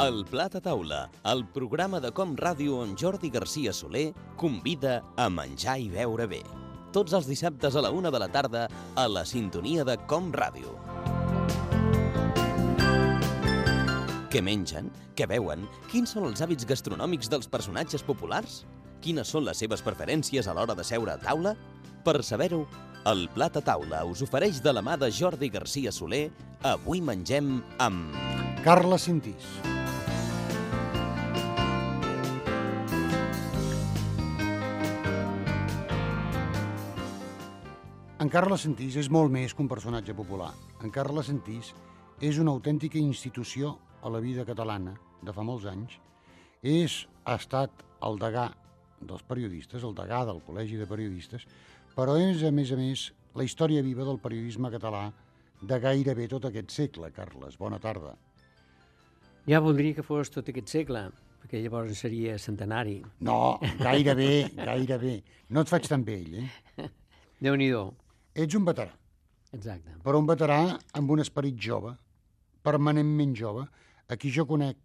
El Plat a Taula, el programa de Com Ràdio on Jordi Garcia Soler convida a menjar i beure bé. Tots els dissabtes a la 1 de la tarda a la sintonia de Com Ràdio. Què mengen? Què beuen? Quins són els hàbits gastronòmics dels personatges populars? Quines són les seves preferències a l'hora de seure a taula? Per saber-ho, el Plat a Taula us ofereix de la mà de Jordi Garcia Soler. Avui mengem amb... Carles Sentís. En Carles Sentís és molt més que un personatge popular. En Carles Sentís és una autèntica institució a la vida catalana de fa molts anys. Ha estat el degà dels periodistes, el degà del Col·legi de Periodistes, però és, a més, la història viva del periodisme català de gairebé tot aquest segle. Carles, bona tarda. Ja voldria que fos tot aquest segle, perquè llavors seria centenari. No, gairebé. No et faig tan vell, eh? Déu-n'hi-do. Ets un veterà. Exacte. Però un veterà amb un esperit jove, permanentment jove, a qui jo conec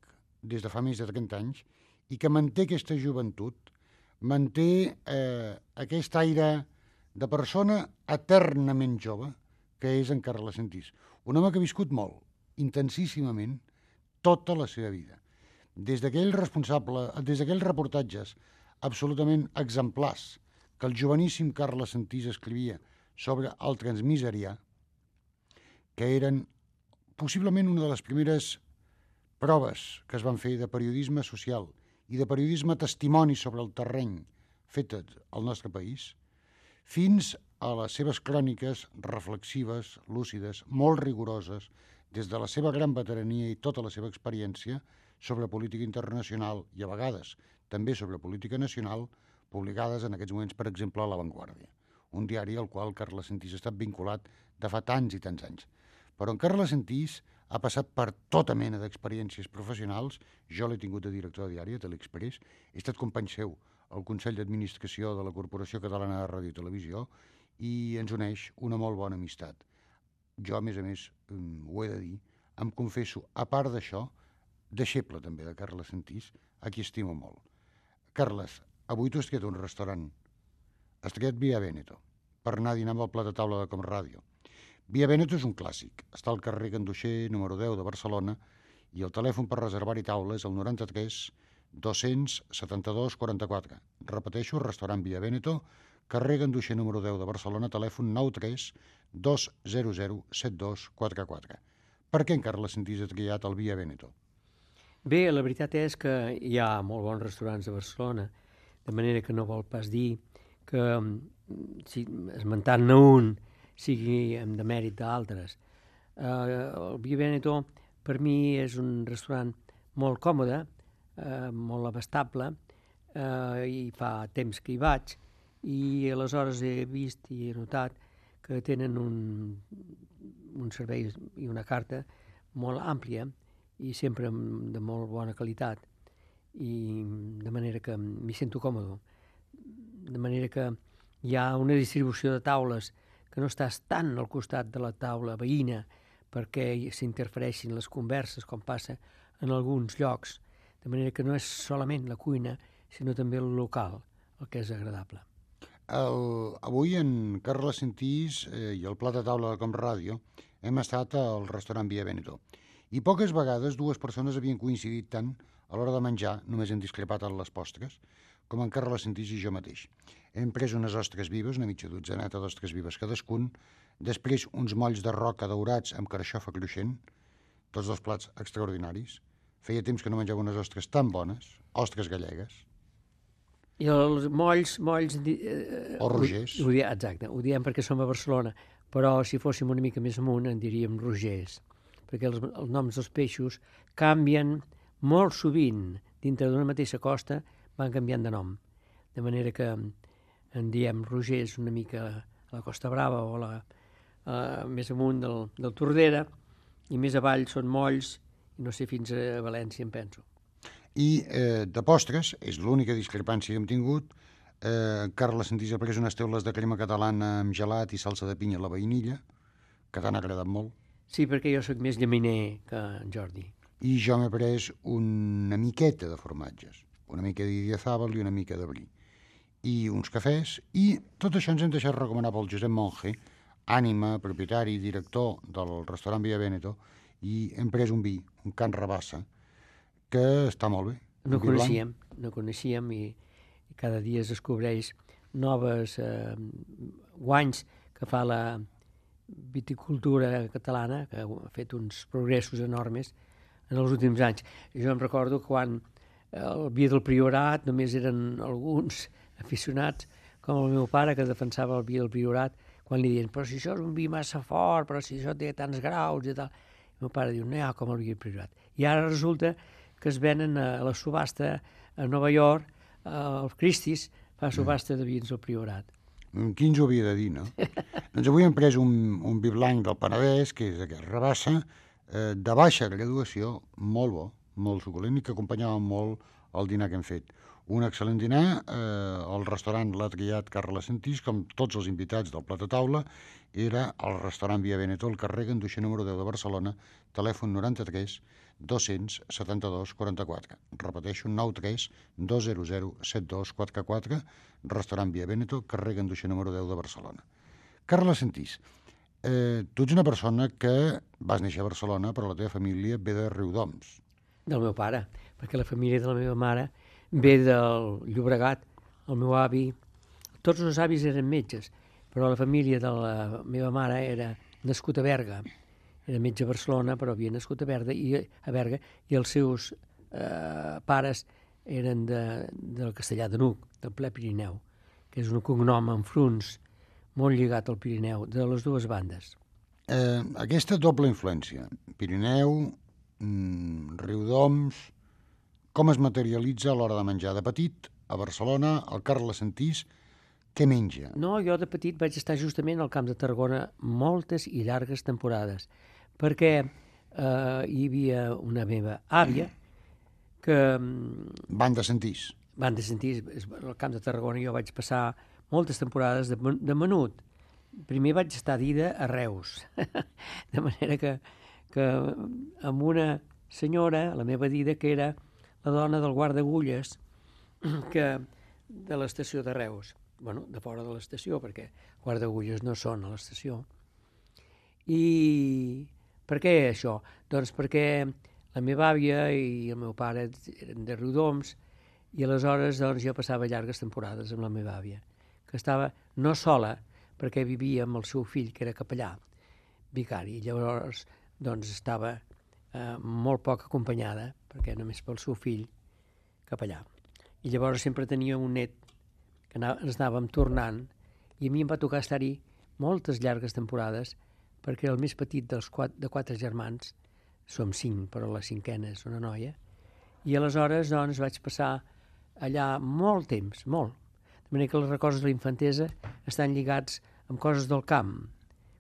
des de fa més de 30 anys i que manté aquesta joventut, manté aquest aire de persona eternament jove que és en Carles Sentís. Un home que ha viscut molt, intensíssimament, tota la seva vida. Des d'aquells reportatges absolutament exemplars que el joveníssim Carles Sentís escrivia sobre el transmiserià, que eren possiblement una de les primeres proves que es van fer de periodisme social i de periodisme testimoni sobre el terreny fet al nostre país, fins a les seves cròniques reflexives, lúcides, molt rigoroses, des de la seva gran veterania i tota la seva experiència sobre política internacional i a vegades també sobre política nacional, publicades en aquests moments, per exemple, a La Vanguardia, un diari al qual Carles Sentís ha estat vinculat de fa tants i tants anys. Però en Carles Sentís ha passat per tota mena d'experiències professionals. Jo l'he tingut de director de diari a Telexpress, he estat company seu al Consell d'Administració de la Corporació Catalana de Ràdio i Televisió i ens uneix una molt bona amistat. Jo, a més, ho he de dir, em confesso, a part d'això, deixeble també de Carles Sentís, a qui estimo molt. Carles, avui tu has triat un restaurant. Has triat Via Veneto per anar a dinar amb el Plat a Taula de Com Ràdio. Via Veneto és un clàssic. Està al carrer Ganduxer, número 10 de Barcelona, i el telèfon per reservar-hi taula és el 93 272 44. Repeteixo, restaurant Via Veneto, carrer Ganduxer, número 10 de Barcelona, telèfon 93 200 7244. Per què en Carles Sentís ha triat el Via Veneto? Bé, la veritat és que hi ha molt bons restaurants a Barcelona, de manera que no vol pas dir que, si esmentant-ne un, sigui de mèrit d'altres. El Via Veneto, per mi, és un restaurant molt còmode, molt abastable, i fa temps que hi vaig, i aleshores he vist i he notat que tenen un servei i una carta molt àmplia i sempre de molt bona qualitat, i de manera que m'hi sento còmode. De manera que hi ha una distribució de taules que no estàs tant al costat de la taula veïna perquè s'interfereixin les converses, com passa en alguns llocs, de manera que no és solament la cuina, sinó també el local, el que és agradable. Avui en Carles Sentís i el Plat a Taula de Com Ràdio hem estat al restaurant Via Veneto. I poques vegades dues persones havien coincidit tant a l'hora de menjar, només hem discrepat en les postres, com en Carles Sentís i jo mateix. Hem pres unes ostres vives, una mitja dotzeneta d'ostres vives cadascun, després uns molls de roca daurats amb carxofa cruixent, tots dos plats extraordinaris. Feia temps que no menjava unes ostres tan bones, ostres gallegues. I els molls... O rogers. Exacte, ho diem perquè som a Barcelona, però si fóssim una mica més amunt en diríem rogers, perquè els noms dels peixos canvien molt sovint. Dintre d'una mateixa costa van canviant de nom, de manera que en diem rogers una mica a la Costa Brava o més amunt del Tordera, i més avall són molls, i no sé, fins a València, em penso. I de postres, és l'única discrepància que hem tingut, Carles Sentís ha pres unes teules de crema catalana amb gelat i salsa de pinya a la vainilla, que t'han agradat molt. Sí, perquè jo sóc més llaminer que en Jordi. i jo m'he pres una miqueta de formatges, una mica d'idiazàbal i una mica de brie, i uns cafès, i tot això ens hem deixat recomanar pel Josep Monge, ànima, propietari i director del restaurant Via Veneto, i hem pres un vi, un Can Rabassa, que està molt bé. No coneixíem i cada dia es descobreix noves guanys que fa la viticultura catalana, que ha fet uns progressos enormes en els últims anys. Jo em recordo quan el vi del Priorat només eren alguns aficionats, com el meu pare, que defensava el vi del Priorat, quan li deien, però si això és un vi massa fort, però si això té tants graus i tal. El meu pare diu, no hi ha com el vi del Priorat. I ara resulta que es venen a la subhasta a Nova York, el Christie's fa subhasta de vins del Priorat. Qui ens ho havia de dir, no? Doncs avui hem pres un vi blanc del Penedès, que és aquest Rabassa, de baixa graduació, molt bo, molt suculent, i que acompanyava molt el dinar que hem fet. Un excel·lent dinar, el restaurant l'ha triat Carles Sentís, com tots els invitats del Plat a Taula, era el restaurant Via Veneto, al carrer Ganduixer número 10 de Barcelona, telèfon 93 272 44. Repeteixo, 93 200 7244, restaurant Via Veneto, carrer Ganduixer número 10 de Barcelona. Carles Sentís, tu ets una persona que vas néixer a Barcelona, però la teva família ve de Riudoms. Del meu pare, perquè la família de la meva mare ve del Llobregat. El meu avi, tots els avis eren metges, però la família de la meva mare era nascut a Berga. Era metge a Barcelona, però havia nascut a Berga, i els seus pares eren del Castellar de Nuc, del ple Pirineu, que és un cognom amb frunç molt lligat al Pirineu, de les dues bandes. Aquesta doble influència, Pirineu, Riudoms, com es materialitza a l'hora de menjar? De petit, a Barcelona, el Carles Sentís, què menja? No, jo de petit vaig estar justament al Camp de Tarragona moltes i llargues temporades, perquè hi havia una meva àvia que... Van de Sentís. Van de Sentís, al Camp de Tarragona jo vaig passar moltes temporades de menut. Primer vaig estar a Dida a Reus, de manera que amb una senyora, la meva Dida, que era la dona del guarda agulles de l'estació de Reus, bueno, de fora de l'estació, perquè guarda agulles no són a l'estació. I per què això? Doncs perquè la meva àvia i el meu pare eren de Riudoms, i aleshores doncs, jo passava llargues temporades amb la meva àvia, que estava no sola, perquè vivia amb el seu fill, que era capellà, vicari, i llavors doncs, estava molt poc acompanyada, perquè només pel seu fill capellà. I llavors sempre tenia un net que ens anàvem tornant, i a mi em va tocar estar-hi moltes llargues temporades, perquè el més petit de 4 germans, som 5, però la cinquena és una noia, i aleshores doncs, vaig passar allà molt temps, molt. De manera que els records de la infantesa estan lligats amb coses del camp.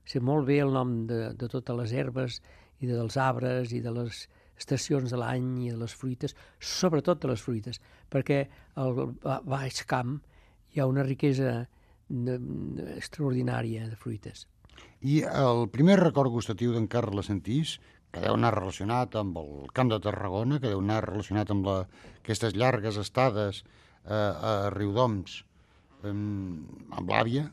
Sé molt bé el nom de totes les herbes i dels arbres i de les estacions de l'any i de les fruites, sobretot de les fruites, perquè al baix camp hi ha una riquesa extraordinària de fruites. I el primer record gustatiu d'en Carles Sentís, que deu anar relacionat amb el Camp de Tarragona, que deu anar relacionat amb aquestes llargues estades a Riudoms, amb l'àvia,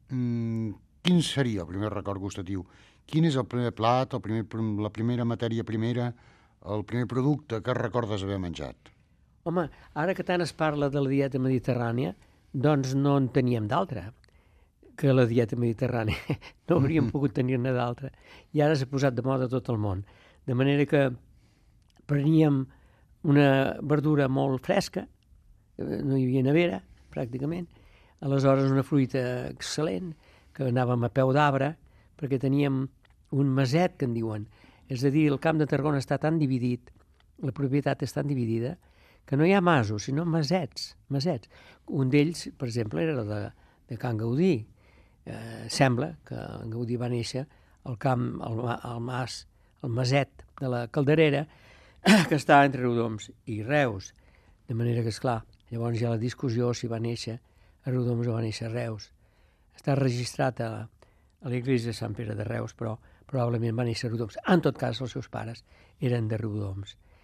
quin seria el primer record gustatiu? Quin és el primer plat, la primera matèria primera, el primer producte que recordes haver menjat? Home, ara que tant es parla de la dieta mediterrània, doncs no en teníem d'altra que la dieta mediterrània. No hauríem pogut tenir-ne d'altra. I ara s'ha posat de moda tot el món. De manera que preníem una verdura molt fresca, no hi havia nevera, pràcticament, aleshores una fruita excel·lent, que anàvem a peu d'arbre, perquè teníem un maset, que en diuen. És a dir, el Camp de Tarragona està tan dividit, la propietat és tan dividida, que no hi ha masos, sinó masets. Un d'ells, per exemple, era de Can Gaudí. Sembla que en Gaudí va néixer al camp, al mas, el maset de la Calderera, que està entre Riudoms i Reus. De manera que, esclar, llavors hi ha la discussió si va néixer a Riudoms o va néixer a Reus. Està registrat a l'església de Sant Pere de Reus, però probablement va néixer a Riudoms. En tot cas, els seus pares eren de Riudoms.